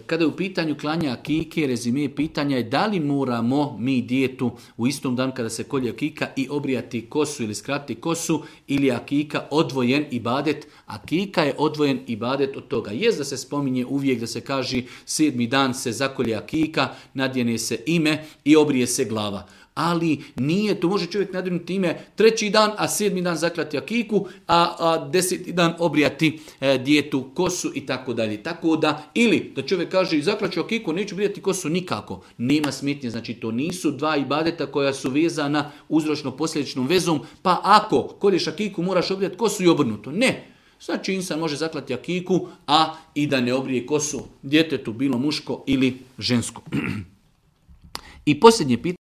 Kada je u pitanju klanja akike, rezime pitanja je da li moramo mi dijetu u istom danu kada se kolje akika i obrijati kosu ili skratiti kosu, ili je akika odvojen ibadet. Akika je odvojen ibadet od toga. Jest da se spominje uvijek da se kaže 7. dan se zakolje akika, nadjene se ime i obrije se glava. Ali nije, to može čovjek nadjenuti ime 3. dan, a 7. dan zaklati akiku, a 10. dan obrijati dijetu kosu i tako dalje. Tako da, ili da čovjek kaže zaklaću akiku, neću brijati kosu nikako. Nema smetnje, znači to nisu dva ibadeta koja su vezana uzročno-posljedičnom vezom, pa ako kolješ akiku moraš obrijati kosu i obrnuto. Ne. Znači insan može zaklati akiku, a i da ne obrije kosu djetetu, bilo muško ili žensko. I posljednje pitanje.